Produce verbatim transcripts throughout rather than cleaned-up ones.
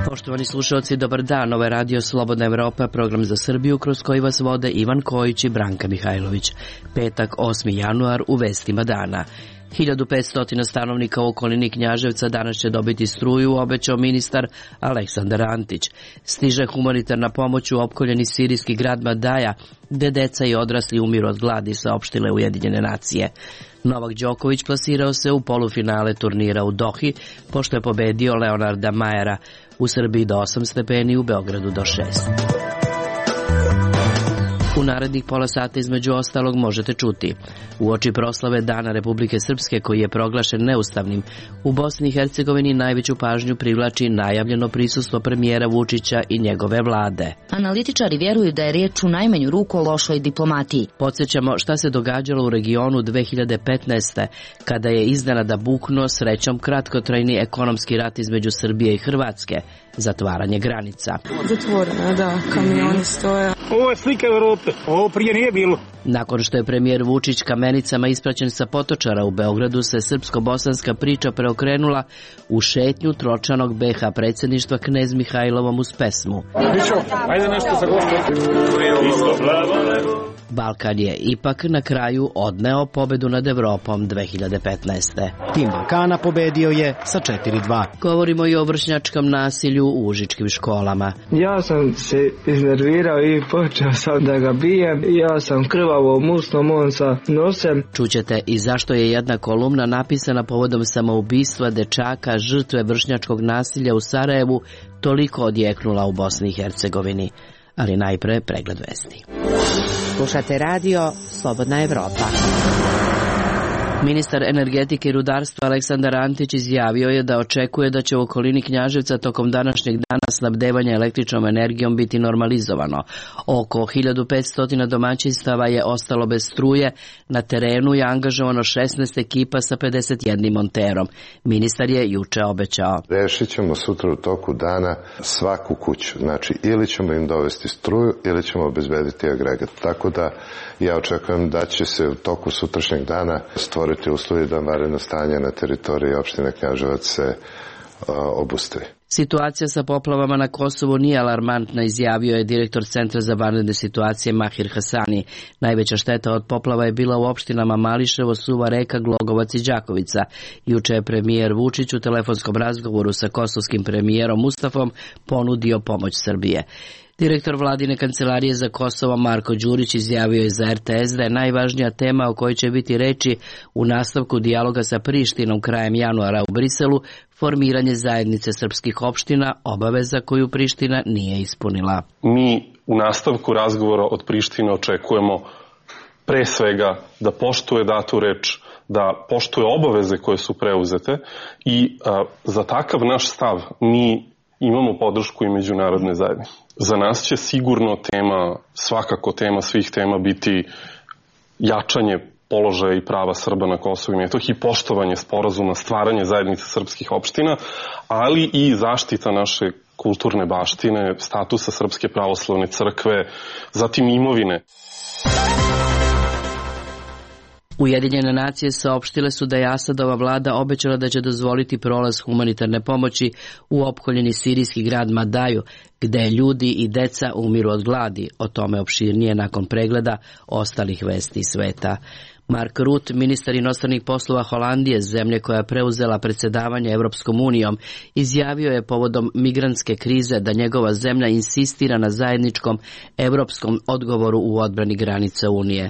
Poštovani slušalci, dobar dan. Ovo je Radio Slobodna Evropa, program za Srbiju kroz koji vas vode Ivan Kojić i Branka Mihajlović. Petak, osmi januar, u vestima dana. hiljadu petsto stanovnika u okolini Knjaževca danas će dobiti struju, obećao ministar Aleksandar Antić. Stiže humanitarna pomoć u opkoljeni sirijski grad Madaja, gde deca i odrasli umiru od gladi, saopštile Ujedinjene nacije. Novak Đoković plasirao se u polufinale turnira u Dohi, pošto je pobedio Leonarda Majera. U Srbiji do osam stepeni, u Beogradu do šest. U narednih pola sata između ostalog možete čuti: uoči proslave Dana Republike Srpske, koji je proglašen neustavnim, u Bosni i Hercegovini najveću pažnju privlači najavljeno prisustvo premijera Vučića i njegove vlade. Analitičari vjeruju da je riječ u najmanju ruku o lošoj diplomatiji. Podsjećamo šta se događalo u regionu dve hiljade petnaeste. kada je iznenada buknuo srećom kratkotrajni ekonomski rat između Srbije i Hrvatske, zatvaranje granica. Zatvoreno, da, kamioni stoje. Ovo je slika Evrope, ovo prije nije bilo. Nakon što je premijer Vučić kamenicama ispraćen sa Potočara u Beogradu, se srpsko-bosanska priča preokrenula u šetnju tročanog be ha predsjedništva Knez Mihajlovom uz pesmu. Mićo, ajde nešto sa gostom. Balkan je ipak na kraju odneo pobedu nad Evropom dve hiljade petnaeste. Tim Balkana pobedio je sa četiri dva. Govorimo i o vršnjačkom nasilju u užičkim školama. Ja sam se iznervirao i počeo sam da ga bijem. Ja sam krvavo musnom on sa nosem. Čućete i zašto je jedna kolumna napisana povodom samoubistva dečaka žrtve vršnjačkog nasilja u Sarajevu toliko odjeknula u Bosni i Hercegovini. Ali najpre pregled vesti. Slušate radio Slobodna Evropa. Ministar energetike i rudarstva Aleksandar Antić izjavio je da očekuje da će u okolini Knjaževca tokom današnjeg dana snabdevanje električnom energijom biti normalizovano. Oko hiljadu petsto domaćinstava je ostalo bez struje, na terenu je angažovano šesnaest ekipa sa pedeset jednim monterom. Ministar je juče obećao: rešit ćemo sutra u toku dana svaku kuću, znači ili ćemo im dovesti struju ili ćemo obezbediti agregat. Tako da ja očekujem da će se u toku sutrašnjeg dana stvoriti uslovi da vanredno stanje na teritoriji opštine Knjaževac se uh, obustavi. Situacija sa poplavama na Kosovu nije alarmantna, izjavio je direktor Centra za vanredne situacije Mahir Hasani. Najveća šteta od poplava je bila u opštinama Mališevo, Suva Reka, Glogovac i Đakovica. Juče je premijer Vučić u telefonskom razgovoru sa kosovskim premijerom Mustafom ponudio pomoć Srbije. Direktor vladine kancelarije za Kosovo Marko Đurić izjavio je za er te es da je najvažnija tema o kojoj će biti reči u nastavku dijaloga sa Prištinom krajem januara u Briselu formiranje zajednice srpskih opština, obaveza koju Priština nije ispunila. Mi u nastavku razgovora od Prištine očekujemo pre svega da poštuje datu reč, da poštuje obaveze koje su preuzete i a, za takav naš stav mi imamo podršku i međunarodne zajednice. Za nas će sigurno tema, svakako tema svih tema biti jačanje položaja i prava Srba na Kosovu i Metohiji, poštovanje sporazuma, stvaranje zajednice srpskih opština, ali i zaštita naše kulturne baštine, statusa Srpske pravoslavne crkve, zatim imovine. Ujedinjene nacije saopštile su da je Asadova vlada obećala da će dozvoliti prolaz humanitarne pomoći u opkoljeni sirijski grad Madaju, gde ljudi i deca umiru od gladi. O tome opširnije nakon pregleda ostalih vesti sveta. Mark Rutte, ministar inostranih poslova Holandije, zemlje koja je preuzela predsjedavanje Evropskom unijom, izjavio je povodom migrantske krize da njegova zemlja insistira na zajedničkom evropskom odgovoru u odbrani granica Unije.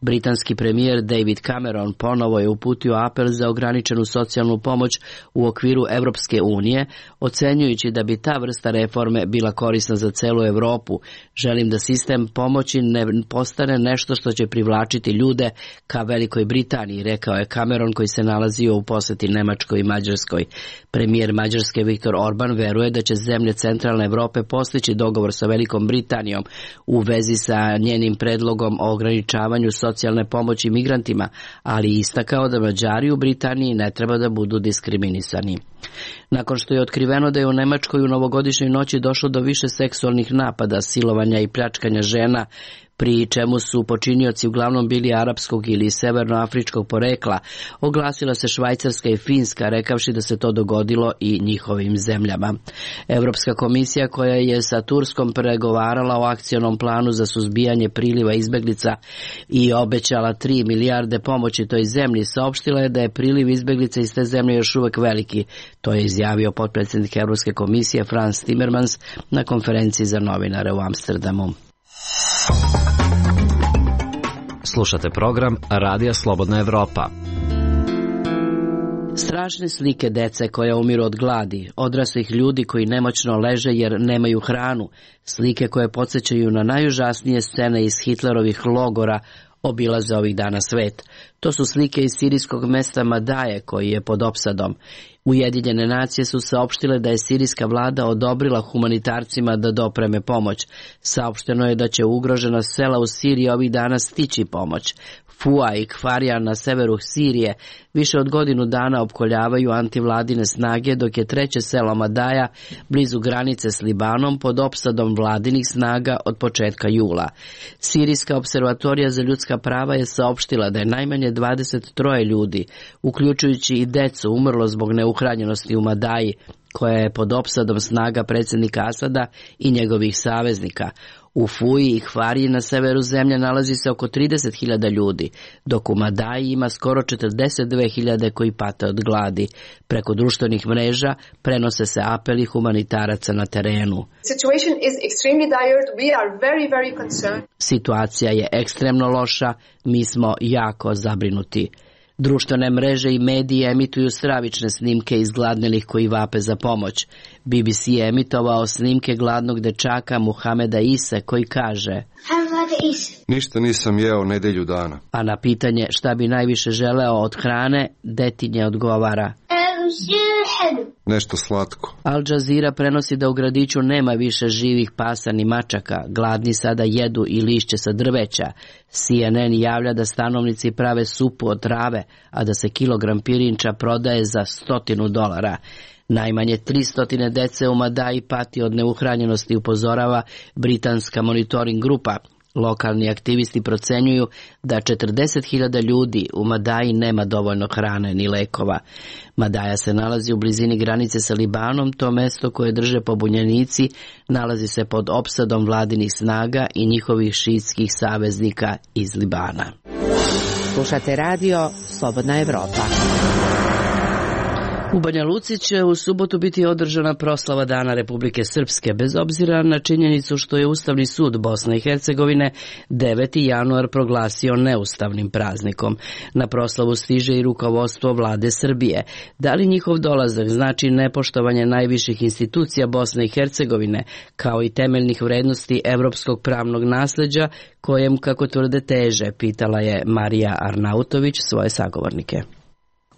Britanski premijer David Cameron ponovo je uputio apel za ograničenu socijalnu pomoć u okviru Evropske unije, ocenjujući da bi ta vrsta reforme bila korisna za celu Evropu. Želim da sistem pomoći ne postane nešto što će privlačiti ljude ka Velikoj Britaniji, rekao je Cameron, koji se nalazio u posjeti Nemačkoj i Mađarskoj. Premijer Mađarske Viktor Orban veruje da će zemlje centralne Evrope postići dogovor sa Velikom Britanijom u vezi sa njenim predlogom o ograničavanju socijalne pomoći migrantima, ali istakao da Mađari u Britaniji ne treba da budu diskriminisani. Nakon što je otkriveno da je u Nemačkoj u novogodišnjoj noći došlo do više seksualnih napada, silovanja i pljačkanja žena, pri čemu su počinioci uglavnom bili arapskog ili severnoafričkog porekla, oglasila se Švajcarska i Finska, rekavši da se to dogodilo i njihovim zemljama. Evropska komisija, koja je sa Turskom pregovarala o akcionom planu za suzbijanje priliva izbeglica i obećala tri milijarde pomoći toj zemlji, saopštila je da je priliv izbeglica iz te zemlje još uvek veliki. To je izjavio potpredsjednik Evropske komisije Frans Timmermans na konferenciji za novinare u Amsterdamu. Slušate program Radija Slobodna Evropa. Strašne slike dece koja umiru od gladi, odraslih ljudi koji nemoćno leže jer nemaju hranu, slike koje podsjećaju na najužasnije scene iz Hitlerovih logora, obilaze ovih dana svet. To su slike iz sirijskog mesta Madaje, koji je pod opsadom. Ujedinjene nacije su saopštile da je sirijska vlada odobrila humanitarcima da dopreme pomoć. Saopšteno je da će ugrožena sela u Siriji ovih dana stići pomoć. Fua i Kfarija na severu Sirije više od godinu dana opkoljavaju antivladine snage, dok je treće selo Madaja blizu granice s Libanom pod opsadom vladinih snaga od početka jula. Sirijska observatorija za ljudska prava je saopštila da je najmanje dvadeset tri ljudi, uključujući i decu, umrlo zbog neuhranjenosti u Madaji, koja je pod opsadom snaga predsjednika Asada i njegovih saveznika. U Fuji i Hvariji na severu zemlje nalazi se oko trideset hiljada ljudi, dok u Madaji ima skoro četrdeset dve hiljade koji pate od gladi. Preko društvenih mreža prenose se apeli humanitaraca na terenu. Situacija je ekstremno loša, mi smo jako zabrinuti. Društvene mreže i mediji emituju stravične snimke izgladnelih koji vape za pomoć. B B C je emitovao snimke gladnog dečaka Muhameda Ise koji kaže: ništa nisam jeo nedelju dana. A na pitanje šta bi najviše želeo od hrane, detinje odgovara: nešto slatko. Al Jazeera prenosi da u gradiću nema više živih pasa ni mačaka, gladni sada jedu i lišće sa drveća. C N N javlja da stanovnici prave supu od trave, a da se kilogram pirinča prodaje za stotinu dolara. Najmanje tristo dece u Madaji pati od neuhranjenosti, upozorava britanska monitoring grupa. Lokalni aktivisti procenjuju da četrdeset hiljada ljudi u Madaji nema dovoljno hrane ni lekova. Madaja se nalazi u blizini granice sa Libanom, to mesto koje drže pobunjenici nalazi se pod opsadom vladinih snaga i njihovih šiitskih saveznika iz Libana. Slušate radio Slobodna Evropa. U Banja Luci će u subotu biti održana proslava Dana Republike Srpske, bez obzira na činjenicu što je Ustavni sud Bosne i Hercegovine deveti januar proglasio neustavnim praznikom. Na proslavu stiže i rukovodstvo vlade Srbije. Da li njihov dolazak znači nepoštovanje najviših institucija Bosne i Hercegovine, kao i temeljnih vrednosti evropskog pravnog nasleđa, kojem, kako tvrde, teže, pitala je Marija Arnautović svoje sagovornike.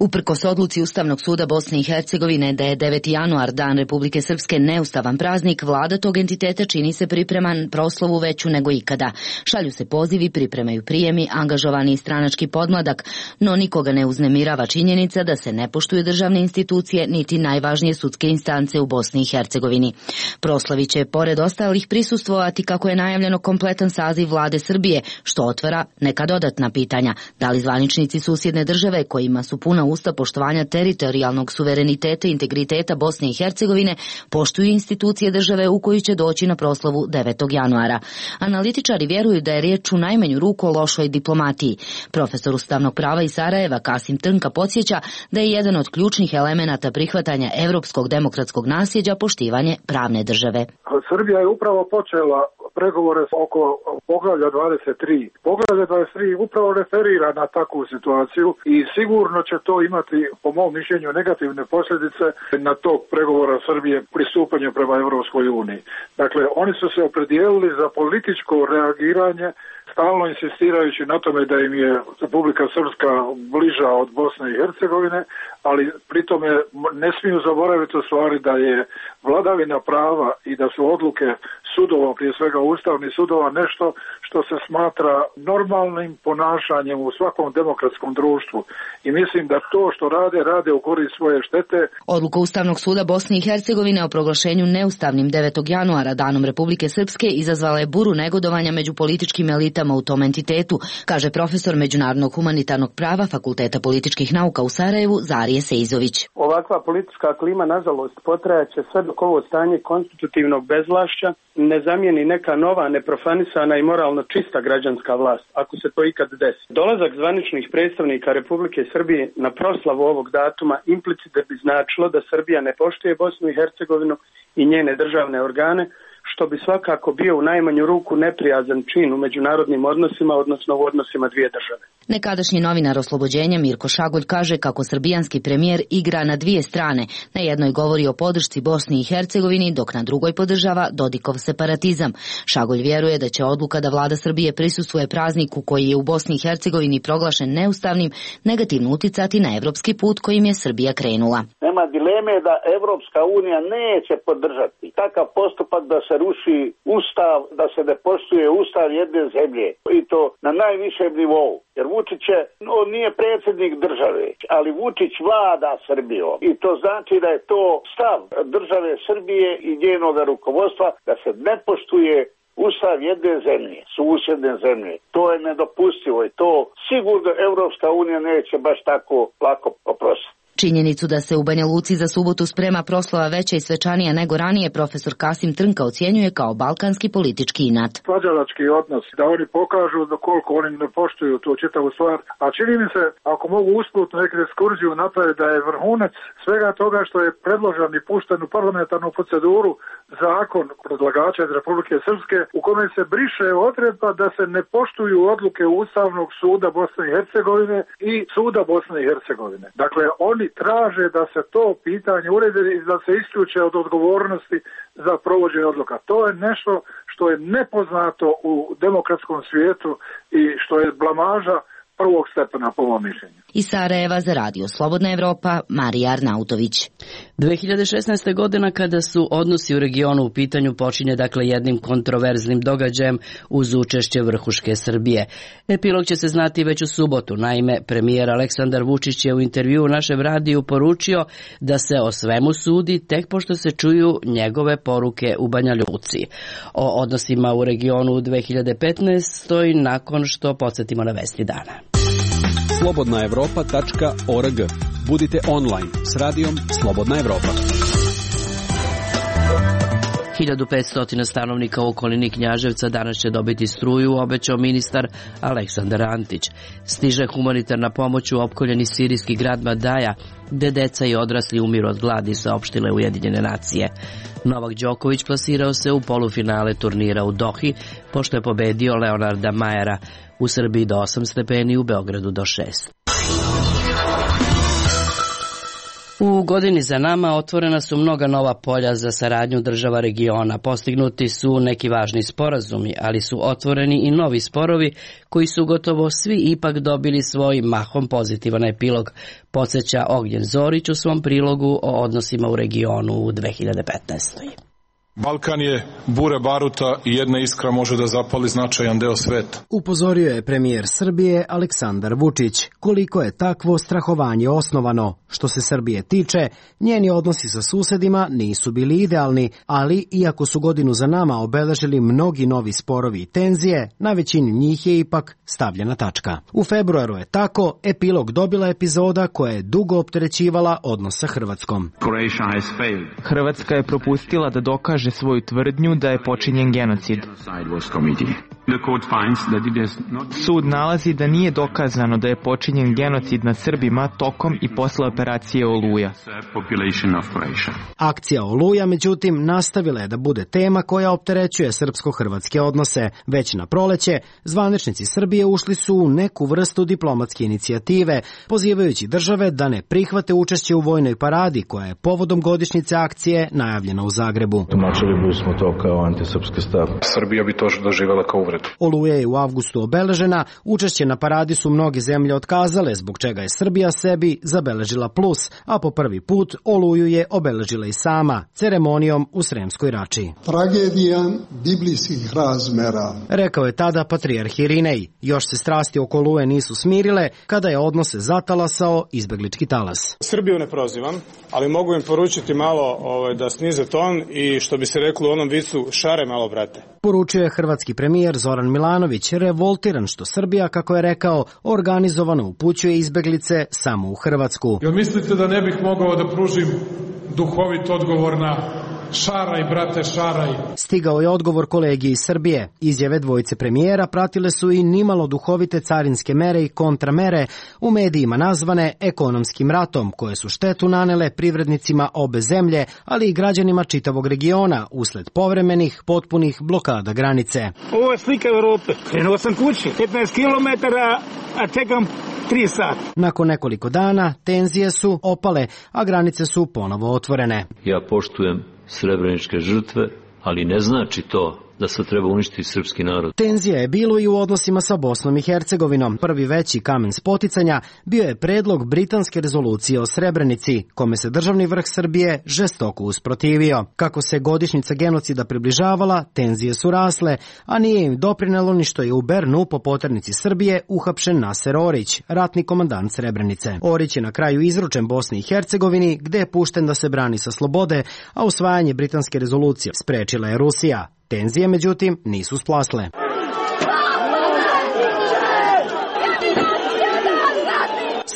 Uprkos odluci Ustavnog suda Bosne i Hercegovine da je deveti januar Dan Republike Srpske neustavan praznik, vlada tog entiteta čini se pripreman proslavu veću nego ikada. Šalju se pozivi, pripremaju prijemi, angažovani stranački podmladak, no nikoga ne uznemirava činjenica da se ne poštuju državne institucije niti najvažnije sudske instance u Bosni i Hercegovini. Proslavi će, pored ostalih, prisustvovati, kako je najavljeno, kompletan saziv vlade Srbije, što otvara neka dodatna pitanja. Da li zvaničnici susjedne države, kojima su puna usta poštovanja teritorijalnog suvereniteta i integriteta Bosne i Hercegovine, poštuju institucije države u koju će doći na proslavu devetog januara. Analitičari vjeruju da je riječ u najmanju ruku o lošoj diplomatiji. Profesor ustavnog prava iz Sarajeva Kasim Trnka podsjeća da je jedan od ključnih elemenata prihvatanja evropskog demokratskog nasljeđa poštivanje pravne države. Srbija je upravo počela pregovore oko poglavlja dvadeset tri. Poglavlja dvadeset tri upravo referira na takvu situaciju i sigurno će to imati, po mom mišljenju, negativne posljedice na tog pregovora Srbije pristupanje prema Europskoj uniji. Dakle, oni su se opredijelili za političko reagiranje, stalno insistirajući na tome da im je Republika Srpska bliža od Bosne i Hercegovine, ali pritome ne smiju zaboraviti u stvari da je vladavina prava i da su odluke sudova, prije svega ustavnih sudova, nešto što se smatra normalnim ponašanjem u svakom demokratskom društvu. I mislim da to što rade, rade u korist svoje štete. Odluka Ustavnog suda Bosne i Hercegovine o proglašenju neustavnim devetog januara Danom Republike Srpske izazvala je buru negodovanja među političkim elitama u tom entitetu, kaže profesor međunarodnog humanitarnog prava Fakulteta političkih nauka u Sarajevu Zarije Sejzović. Ovakva politička klima, nažalost, potrajaće sve dok ovo stanje konstitutivnog bezvlašća ne zamijeni neka nova, neprofanisana i moralno čista građanska vlast, ako se to ikad desi. Dolazak zvaničnih predstavnika Republike Srbije na proslavu ovog datuma implicite bi značilo da Srbija ne poštuje Bosnu i Hercegovinu i njene državne organe, što bi svakako bio u najmanju ruku neprijazan čin u međunarodnim odnosima, odnosno u odnosima dvije države. Nekadašnji novinar Oslobođenja Mirko Šagolj kaže kako srbijanski premijer igra na dvije strane. Na jednoj govori o podršci Bosni i Hercegovini, dok na drugoj podržava Dodikov separatizam. Šagolj vjeruje da će odluka da vlada Srbije prisustvuje prazniku koji je u Bosni i Hercegovini proglašen neustavnim negativno uticati na evropski put kojim je Srbija krenula. Nema dileme da Evropska unija neće podržati takav postupak da se ruši ustav, da se ne poštuje ustav jedne zemlje i to na najvišem nivou. Jer Vučić je, on nije predsjednik države, ali Vučić vlada Srbijom i to znači da je to stav države Srbije i njenog rukovodstva da se ne poštuje ustav jedne zemlje, susjedne zemlje. To je nedopustivo i to sigurno Evropska unija neće baš tako lako oprostiti. Činjenicu da se u Banja Luci za subotu sprema proslava veća i svečanija nego ranije, profesor Kasim Trnka ocjenjuje kao balkanski politički inat. Svađalački odnos, da oni pokažu da koliko oni ne poštuju tu čitavu stvar, a čini mi se, ako mogu usputno neku ekskurziju napraviti, da je vrhunac svega toga što je predložen i pušten u parlamentarnu proceduru zakon predlagača iz Republike Srpske, u kome se briše odredba da se ne poštuju odluke Ustavnog suda Bosne i Hercegovine i suda Bosne i Hercegovine. Dakle, oni traže da se to pitanje uredi i da se isključe od odgovornosti za provođenje odluka. To je nešto što je nepoznato u demokratskom svijetu i što je blamaža prvog stepena po mom mišljenju. Iz Sarajeva za Radio Slobodna Evropa, Marija Arnautović. dve hiljade šesnaeste. godina kada su odnosi u regionu u pitanju počinje dakle jednim kontroverznim događajem uz učešće vrhuške Srbije. Epilog će se znati već u subotu. Naime, premijer Aleksandar Vučić je u intervjuu u našem radiju poručio da se o svemu sudi tek pošto se čuju njegove poruke u Banja Luci. O odnosima u regionu u dve hiljade petnaestoj. nakon što podsjetimo na vesti dana. slobodna evropa tačka org. Budite online s radijom Slobodna Evropa. hiljadu petsto stanovnika u okolini Knjaževca danas će dobiti struju, obećao ministar Aleksandar Antić. Stiže humanitarna pomoć u opkoljeni sirijski grad Madaja, gde deca i odrasli umiru od gladi, saopštile Ujedinjene nacije. Novak Đoković plasirao se u polufinale turnira u Dohi, pošto je pobedio Leonarda Majera. U Srbiji do osam stepeni, u Beogradu do šest. U godini za nama otvorena su mnoga nova polja za saradnju država regiona. Postignuti su neki važni sporazumi, ali su otvoreni i novi sporovi koji su gotovo svi ipak dobili svoj mahom pozitivan epilog, podsjeća Ognjen Zorić u svom prilogu o odnosima u regionu u dve hiljade petnaestoj. Balkan je bure baruta i jedna iskra može da zapali značajan deo sveta. Upozorio je premijer Srbije Aleksandar Vučić koliko je takvo strahovanje osnovano. Što se Srbije tiče, njeni odnosi sa susedima nisu bili idealni, ali iako su godinu za nama obeležili mnogi novi sporovi i tenzije, na većini njih je ipak stavljena tačka. U februaru je tako epilog dobila epizoda koja je dugo opterećivala odnos sa Hrvatskom. Hrvatska je propustila da dokaže svoju tvrdnju da je počinjen genocid. Sud nalazi da nije dokazano da je počinjen genocid nad Srbima tokom i posle operacije Oluja. Akcija Oluja, međutim, nastavila je da bude tema koja opterećuje srpsko-hrvatske odnose. Već na proleće, zvaničnici Srbije ušli su u neku vrstu diplomatske inicijative, pozivajući države da ne prihvate učešće u vojnoj paradi koja je povodom godišnjice akcije najavljena u Zagrebu. tumačili bismo to kao antisrpski stav. Srbija bi to doživjela kao uvredu. Oluja je u avgustu obeležena, učešće na paradi su mnoge zemlje otkazale, zbog čega je Srbija sebi zabeležila plus, a po prvi put Oluju je obeležila i sama, ceremonijom u Sremskoj Rači. Tragedija biblijskih razmera. Rekao je tada patrijarh Irinej. Još se strasti oko Oluje nisu smirile, kada je odnose zatalasao izbeglički talas. Srbiju ne prozivam, ali mogu im poručiti malo ovaj, da snize ton i što bi se reklo u onom vicu, šare malo, brate. Poručio je hrvatski premijer Zoran Milanović, revoltiran što Srbija, kako je rekao, organizovano upućuje izbeglice samo u Hrvatsku. Jel mislite da ne bih mogao da pružim duhovit odgovor na šaraj, brate, šaraj? Stigao je odgovor kolegi iz Srbije. Izjave dvojice premijera pratile su i nimalo duhovite carinske mere i kontramere, u medijima nazvane ekonomskim ratom, koje su štetu nanele privrednicima obe zemlje, ali i građanima čitavog regiona usled povremenih, potpunih blokada granice. Ovo je slika Evrope. Krenuo sam kući, petnaest kilometara, a čekam tri sata. Nakon nekoliko dana tenzije su opale, a granice su ponovo otvorene. Ja poštujem srebreničke žrtve, ali ne znači to da se treba uništiti srpski narod. Tenzija je bilo i u odnosima sa Bosnom i Hercegovinom. Prvi veći kamen spoticanja bio je predlog britanske rezolucije o Srebrenici, kome se državni vrh Srbije žestoko usprotivio. Kako se godišnjica genocida približavala, tenzije su rasle, a nije im doprinelo ni što je u Bernu po poternici Srbije uhapšen Naser Orić, ratni komandant Srebrenice. Orić je na kraju izručen Bosni i Hercegovini, gde je pušten da se brani sa slobode, a usvajanje britanske rezolucije sprečila je Rusija. Tenzije, međutim, nisu splasle.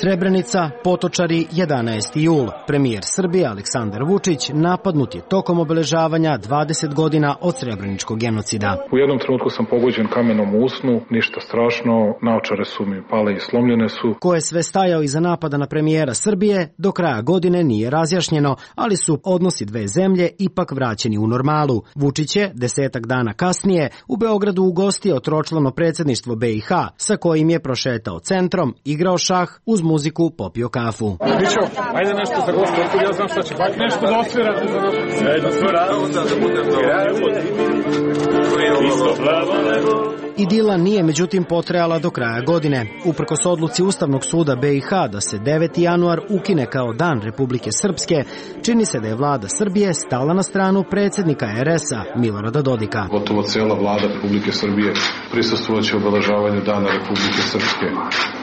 Srebrenica, Potočari, jedanaesti jul. Premijer Srbije Aleksandar Vučić napadnut je tokom obeležavanja dvadeset godina od srebreničkog genocida. U jednom trenutku sam pogođen kamenom u usnu, ništa strašno, naočare su mi pale i slomljene su. Ko je sve stajao iza napada na premijera Srbije, do kraja godine nije razjašnjeno, ali su odnosi dve zemlje ipak vraćeni u normalu. Vučić je desetak dana kasnije u Beogradu ugostio tročlano predsjedništvo B i H, sa kojim je prošetao centrom, igrao šah, uz muziku popio kafu. Mićo, ajde nešto za goste, ja znam šta će bak nešto da osvirate za nas. Ajde, svira, da budem Idila nije međutim potrajala do kraja godine. Uprkos odluci Ustavnog suda B i H da se deveti januar ukine kao Dan Republike Srpske, čini se da je vlada Srbije stala na stranu predsjednika R S-a Milorada Dodika. Gotovo cijela vlada Republike Srbije prisustvovaće obeležavanju Dana Republike Srpske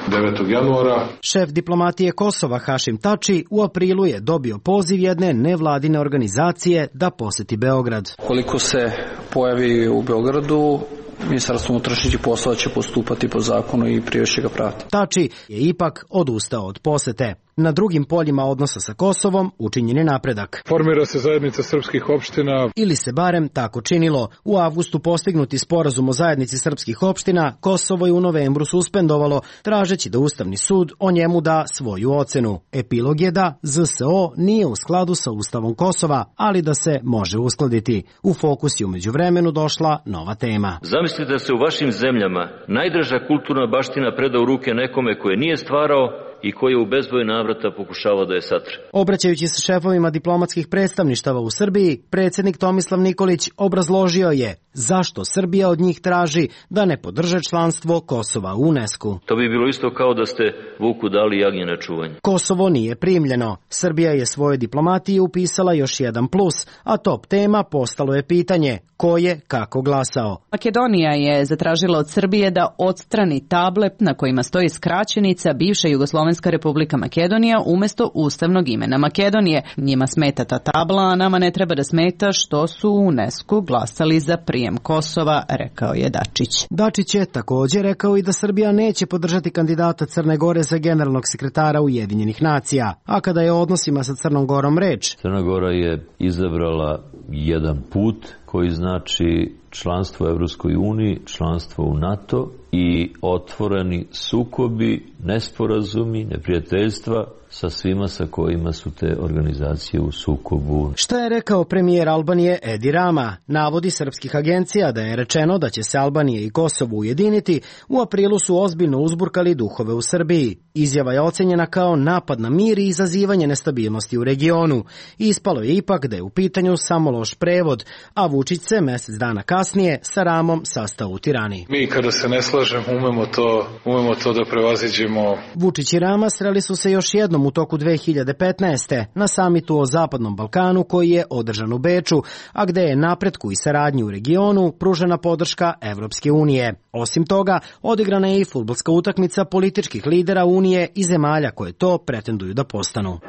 devetog januara. Šef diplomatije Kosova Hašim Tači u aprilu je dobio poziv jedne nevladine organizacije da poseti Beograd. Koliko se pojavi u Beogradu, Ministarstvo unutrašnjih poslova će postupati po zakonu i priješće ga prati. Tači je ipak odustao od posete. Na drugim poljima odnosa sa Kosovom učinjen je napredak. Formira se zajednica srpskih opština. Ili se barem tako činilo. U avgustu postignuti sporazum o zajednici srpskih opština Kosovo je u novembru suspendovalo, tražeći da Ustavni sud o njemu da svoju ocenu. Epilog je da Z S O nije u skladu sa Ustavom Kosova, ali da se može uskladiti. U fokus je umeđu vremenu došla nova tema. Zamislite da se u vašim zemljama najdraža kulturna baština preda u ruke nekome koje nije stvarao i koji je u bezbroj navrata pokušavao da je satre. Obraćajući se šefovima diplomatskih predstavništava u Srbiji, predsjednik Tomislav Nikolić obrazložio je zašto Srbija od njih traži da ne podrže članstvo Kosova u UNESCO. To bi bilo isto kao da ste vuku dali jagnje na čuvanje. Kosovo nije primljeno. Srbija je svoje diplomatiji upisala još jedan plus, a top tema postalo je pitanje ko je kako glasao. Makedonija je zatražila od Srbije da odstrani table na kojima stoji skraćenica bivša Jugoslovenska republika Makedonija umjesto ustavnog imena Makedonije. Njima smeta ta tabla, a nama ne treba da smeta što su u UNESCO glasali za prijem Kosova, rekao je Dačić. Dačić je također rekao i da Srbija neće podržati kandidata Crne Gore za generalnog sekretara Ujedinjenih nacija. A kada je o odnosima sa Crnom Gorom reč, Crna Gora je izabrala jedan put koji znači članstvo u Evropskoj uniji, članstvo u NATO i otvoreni sukobi, nesporazumi, neprijateljstva sa svima sa kojima su te organizacije u sukobu. Šta je rekao premijer Albanije Edi Rama? Navodi srpskih agencija da je rečeno da će se Albanija i Kosovo ujediniti, u aprilu su ozbiljno uzburkali duhove u Srbiji. Izjava je ocenjena kao napad na mir i izazivanje nestabilnosti u regionu. Ispalo je ipak da je u pitanju samo loš prevod, a Vučić se mesec dana kasnije sa Ramom sastao u Tirani. Mi kada se ne slažemo umemo to, umemo to da prevaziđemo. Vučić i Rama sreli su se još jednom u toku dve hiljade petnaeste. na samitu o Zapadnom Balkanu koji je održan u Beču, a gde je napretku i saradnji u regionu pružena podrška Evropske unije. Osim toga, odigrana je i fudbalska utakmica političkih lidera Unije i zemalja koje to pretenduju da postanu.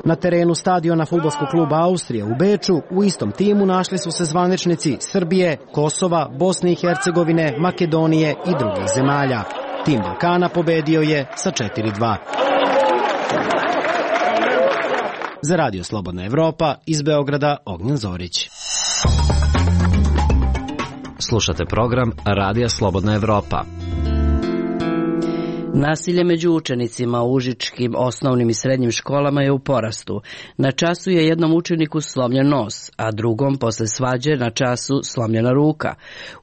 Na terenu stadiona fudbalskog kluba Austrija u Beču u istom timu našli su se zvaničnici Srbije, Kosova, Bosne i Hercegovine, Makedonije i drugih zemalja. Tim Balkana pobedio je sa četiri dva. Za Radio Slobodna Evropa iz Beograda Ognjen Zorić. Slušate program Radija Slobodna Evropa. Nasilje među učenicima u užičkim osnovnim i srednjim školama je u porastu. Na času je jednom učeniku slomljen nos, a drugom posle svađe na času slomljena ruka.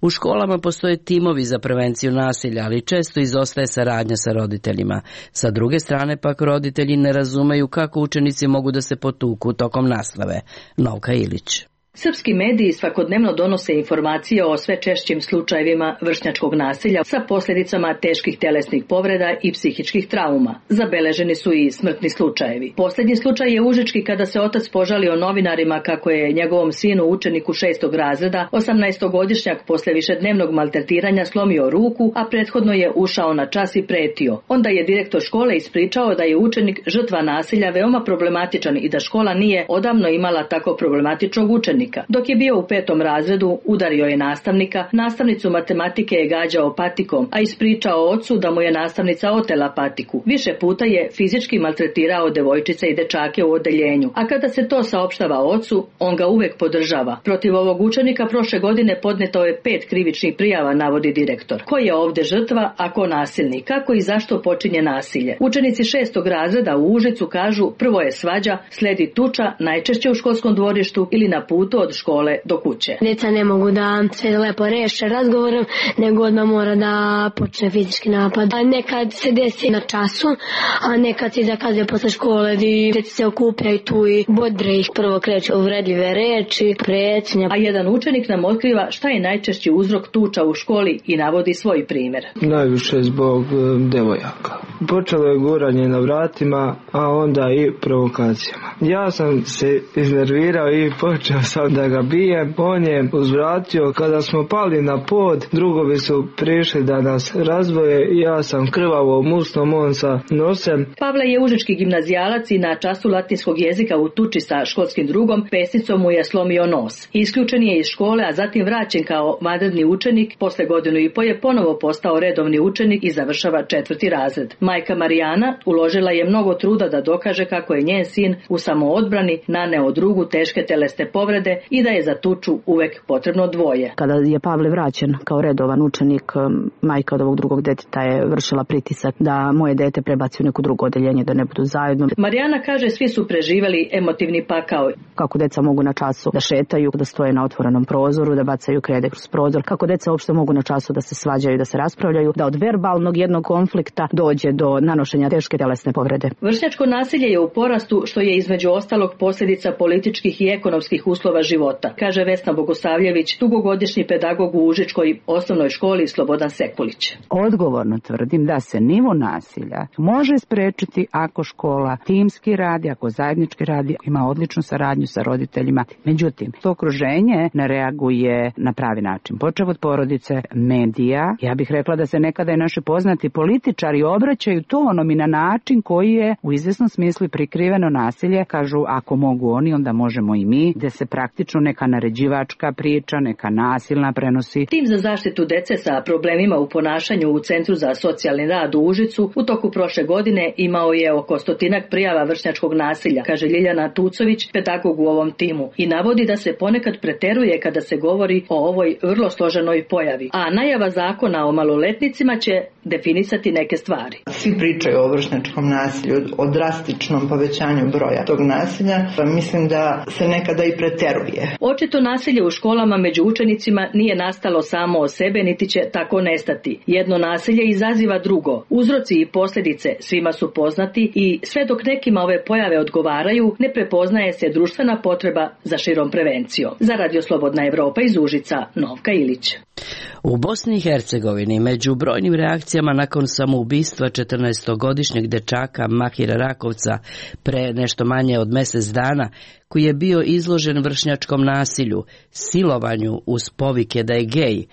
U školama postoje timovi za prevenciju nasilja, ali često izostaje saradnja sa roditeljima. Sa druge strane pak roditelji ne razumeju kako učenici mogu da se potuku tokom nastave. Novka Ilić. Srpski mediji svakodnevno donose informacije o sve češćim slučajevima vršnjačkog nasilja sa posljedicama teških telesnih povreda i psihičkih trauma. Zabeleženi su i smrtni slučajevi. Posljednji slučaj je užički kada se otac požalio novinarima kako je njegovom sinu, učeniku šestog razreda, osamnaestogodišnjak posle višednevnog maltretiranja slomio ruku, a prethodno je ušao na čas i pretio. Onda je direktor škole ispričao da je učenik žrtva nasilja veoma problematičan i da škola nije odavno imala tako problematičnog učenika. Dok je bio u petom razredu, udario je nastavnika, nastavnicu matematike je gađao patikom, a ispričao ocu da mu je nastavnica otela patiku. Više puta je fizički maltretirao devojčice i dečake u odeljenju, a kada se to saopštava ocu, on ga uvek podržava. Protiv ovog učenika prošle godine podneto je pet krivičnih prijava, navodi direktor. Ko je ovde žrtva, a ko nasilnik? Kako i zašto počinje nasilje? Učenici šestog razreda u Užicu kažu prvo je svađa, sledi tuča, najčešće u školskom dvorištu ili na putu od škole do kuće. Djeca ne mogu da se lepo reše razgovorom, nego odmah mora da počne fizički napad. A nekad se desi na času, a nekad se zakazuje posle škole gdje djeca se okupljaju tu i bodre ih, prvo kreću uvredljive reči, pretnje. A jedan učenik nam otkriva šta je najčešći uzrok tuča u školi i navodi svoj primjer. Najviše zbog devojaka. Počelo je guranje na vratima, a onda i provokacijama. Ja sam se iznervirao i počeo sam da ga bijem. On je uzvratio. Kada smo pali na pod, drugovi su prišli da nas razvoje. Ja sam krvavo musnom, on sa nosem. Pavle je užički gimnazijalac i na času latinskog jezika u tuči sa školskim drugom pesnicom mu je slomio nos. Isključen je iz škole, a zatim vraćen kao vanredni učenik. Posle godinu i po je ponovo postao redovni učenik i završava četvrti razred. Majka Marijana uložila je mnogo truda da dokaže kako je njen sin u samoodbrani naneo drugu teške telesne povrede i da je za tuču uvek potrebno dvoje. Kada je Pavle vraćen kao redovan učenik, majka od ovog drugog deteta je vršila pritisak da moje dete prebaci u neko drugo odeljenje, da ne budu zajedno. Marijana kaže svi su preživeli emotivni pakao. Kako deca mogu na času da šetaju, da stoje na otvorenom prozoru, da bacaju krede kroz prozor, kako deca uopšte mogu na času da se svađaju, da se raspravljaju, da od verbalnog jednog konflikta dođe do nanošenja teške telesne povrede. Vršnjačko nasilje je u porastu, što je između ostalog posljedica političkih i ekonomskih uslova života, kaže Vesna Bogosavljević, dugogodišnji pedagog u Užičkoj osnovnoj školi Slobodan Sekulić. Odgovorno tvrdim da se nivo nasilja može sprečiti ako škola timski radi, ako zajednički radi, ima odličnu saradnju sa roditeljima. Međutim, to okruženje ne reaguje na pravi način. Počev od porodice, medija, ja bih rekla da se nekada i naši poznati političari obraćaju tonom i na način koji je u izvesnom smislu prikriveno nasilje. Kažu, ako mogu oni, onda možemo i mi, gde se pravi praktično neka naređivačka priča, neka nasilna prenosi. Tim za zaštitu dece sa problemima u ponašanju u Centru za socijalni rad u Užicu u toku prošle godine imao je oko stotinak prijava vršnjačkog nasilja, kaže Ljiljana Tucović, pedagog u ovom timu, i navodi da se ponekad preteruje kada se govori o ovoj vrlo složenoj pojavi. A najava zakona o maloletnicima će definisati neke stvari. Svi pričaju o vršnjačkom nasilju, o drastičnom povećanju broja tog nasilja, pa mislim da se nekada i preteruje. Očito nasilje u školama među učenicima nije nastalo samo od sebe, niti će tako nestati. Jedno nasilje izaziva drugo. Uzroci i posljedice svima su poznati i sve dok nekima ove pojave odgovaraju, ne prepoznaje se društvena potreba za širom prevencijom. Za Radio Slobodna Evropa iz Užica, Novka Ilić. U Bosni i Hercegovini među brojnim reakcijama nakon samoubistva četrnaestogodišnjeg dečaka Mahira Rakovca pre nešto manje od mjesec dana, koji je bio izložen vršnjačkom nasilju, silovanju uz povike da je gej,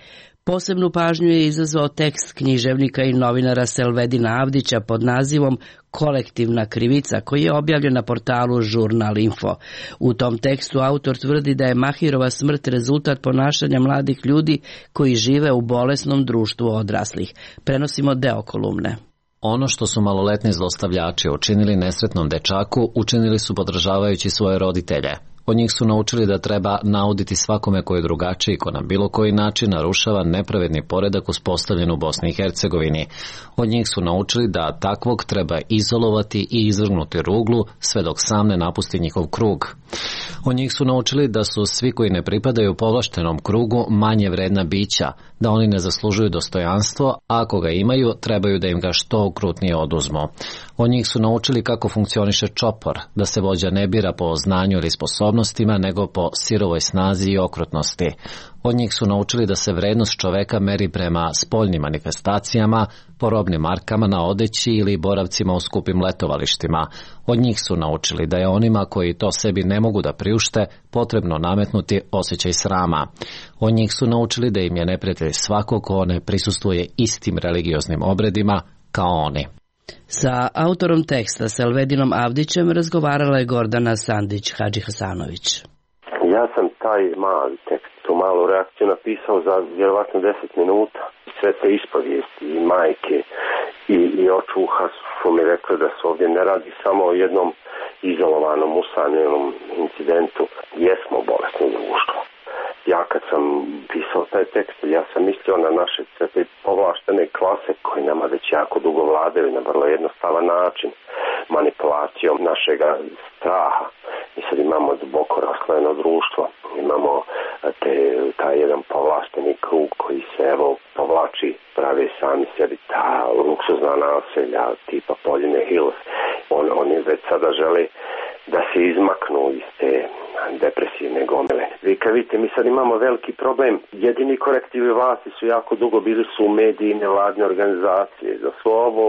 posebnu pažnju je izazvao tekst književnika i novinara Selvedina Avdića pod nazivom Kolektivna krivica, koji je objavljen na portalu Žurnal Info. U tom tekstu autor tvrdi da je Mahirova smrt rezultat ponašanja mladih ljudi koji žive u bolesnom društvu odraslih. Prenosimo deo kolumne. Ono što su maloletni zlostavljači učinili nesretnom dečaku, učinili su podržavajući svoje roditelje. Od njih su naučili da treba nauditi svakome koji je drugačiji, ko na bilo koji način narušava nepravedni poredak uspostavljen u Bosni i Hercegovini. Od njih su naučili da takvog treba izolovati i izvrgnuti ruglu sve dok sam ne napusti njihov krug. Od njih su naučili da su svi koji ne pripadaju povlaštenom krugu manje vredna bića, da oni ne zaslužuju dostojanstvo, a ako ga imaju, trebaju da im ga što okrutnije oduzmu. Od njih su naučili kako funkcioniše čopor, da se vođa ne bira po znanju ili sposobnostima, nego po sirovoj snazi i okrutnosti. Od njih su naučili da se vrednost čoveka meri prema spoljnim manifestacijama, po robnim markama na odeći ili boravcima u skupim letovalištima. Od njih su naučili da je onima koji to sebi ne mogu da priušte potrebno nametnuti osjećaj srama. Od njih su naučili da im je neprijatelj svako ko ne prisustvuje istim religioznim obredima kao oni. Sa autorom teksta Selvedinom Avdićem razgovarala je Gordana Sandić-Hadžihasanović. Ja sam taj mali tekst, tu malu reakciju napisao za vjerovatno deset minuta. Sve te ispovijesti i majke i, i očuha su mi rekli da se ovdje ne radi samo o jednom izolovanom, usamljenom incidentu. Jesmo bolesno društvo. Ja kad sam pisao taj tekst, ja sam mislio na naše sve te povlaštene klase koji nama već jako dugo vladaju na vrlo jednostavan način, manipulacijom našega straha. Mi sad imamo duboko raslojeno društvo, imamo te, taj jedan povlašteni krug koji se evo povlači, pravi sami sebi ta luksuzna naselja tipa Poljine Hills. On, oni već sada žele da se izmaknu iz te depresivne gomile. Vi kad vidite, mi sad imamo veliki problem. Jedini korektivi vlasti su jako dugo bili su mediji i nevladne organizacije. Za svo ovo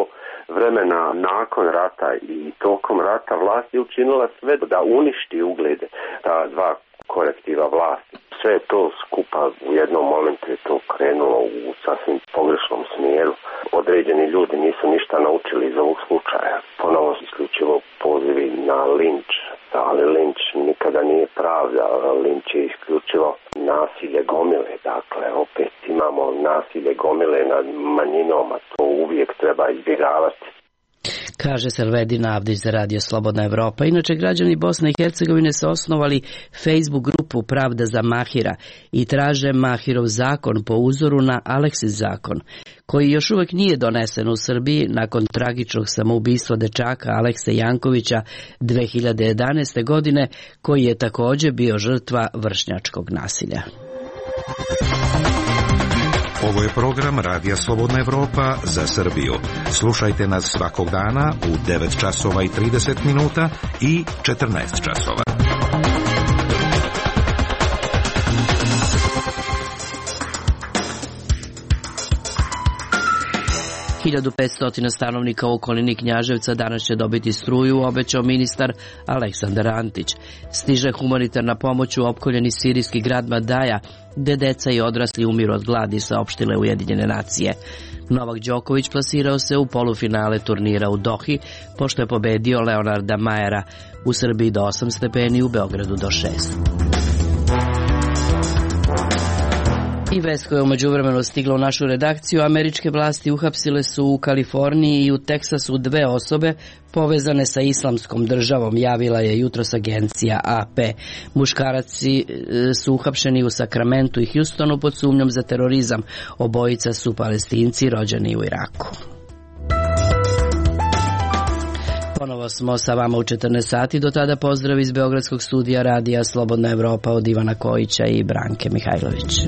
vremena nakon rata i tokom rata vlast je učinila sve da uništi uglede ta dva korektiva vlasti. Sve je to skupa u jednom momentu je to krenulo u sasvim pogrešnom smjeru. Određeni ljudi nisu ništa naučili iz ovog slučaja. Ponovo isključivo pozivi na linč, ali linč nikada nije pravda. Linč je isključivo nasilje gomile. Dakle, opet imamo nasilje gomile nad manjinom, a to uvijek treba izbjegavati. Kaže Selvedin Avdić za Radio Slobodna Evropa. Inače, građani Bosne i Hercegovine su osnovali Facebook grupu Pravda za Mahira i traže Mahirov zakon po uzoru na Aleksis zakon, koji još uvijek nije donesen u Srbiji nakon tragičnog samoubistva dečaka Alekse Jankovića dve hiljade jedanaeste. godine, koji je također bio žrtva vršnjačkog nasilja. Ovo je program Radija Slobodna Evropa za Srbiju. Slušajte nas svakog dana u devet časova i trideset minuta i četrnaest časova. hiljadu petsto stanovnika u okolini Knjaževca danas će dobiti struju, obećao ministar Aleksandar Antić. Stiže humanitarna pomoć u opkoljeni sirijski grad Madaja, gde deca i odrasli umiru od gladi, saopštile Ujedinjene nacije. Novak Đoković plasirao se u polufinale turnira u Dohi, pošto je pobedio Leonarda Majera. U Srbiji do osam stepeni, u Beogradu do šest. I vest koja je umeđu vremenu stigla u našu redakciju, američke vlasti uhapsile su u Kaliforniji i u Teksasu dve osobe povezane sa islamskom državom, javila je jutros agencija A P. Muškaraci su uhapšeni u Sakramentu i Hjustonu pod sumnjom za terorizam. Obojica su Palestinci rođeni u Iraku. Ponovo smo sa vama u četrnaest sati, do tada pozdrav iz Beogradskog studija radija Slobodna Evropa od Ivana Kojića i Branke Mihajlović.